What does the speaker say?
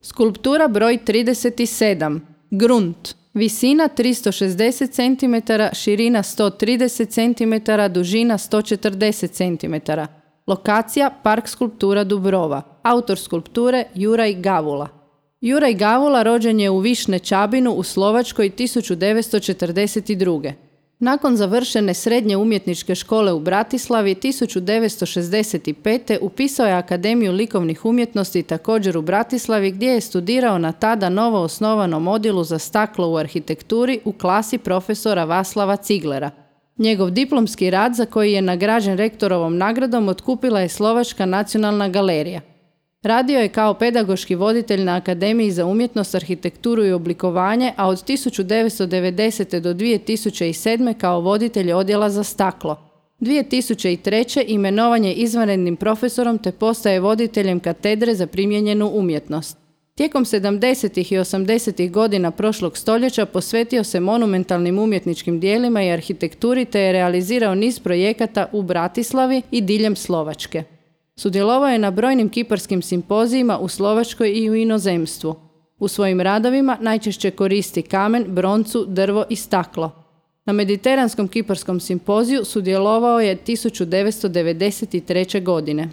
Skulptura broj 37. Grunt. Visina 360 cm, širina 130 cm, dužina 140 cm. Lokacija Park skulptura Dubrova. Autor skulpture Juraj Gavula. Juraj Gavula rođen je u Višne Čabinu u Slovačkoj 1942. Nakon završene srednje umjetničke škole u Bratislavi 1965. upisao je Akademiju likovnih umjetnosti također u Bratislavi gdje je studirao na tada novo osnovanom odjelu za staklo u arhitekturi u klasi profesora Vaslava Ciglera. Njegov diplomski rad, za koji je nagrađen rektorovom nagradom, otkupila je Slovačka nacionalna galerija. Radio je kao pedagoški voditelj na Akademiji za umjetnost, arhitekturu i oblikovanje, a od 1990. do 2007. kao voditelj odjela za staklo. 2003. imenovan je izvanrednim profesorom te postaje voditeljem katedre za primijenjenu umjetnost. Tijekom 70. i 80. godina prošlog stoljeća posvetio se monumentalnim umjetničkim dijelima i arhitekturi te je realizirao niz projekata u Bratislavi i diljem Slovačke. Sudjelovao je na brojnim kiparskim simpozijima u Slovačkoj i u inozemstvu. U svojim radovima najčešće koristi kamen, broncu, drvo i staklo. Na Mediteranskom kiparskom simpoziju sudjelovao je 1993. godine.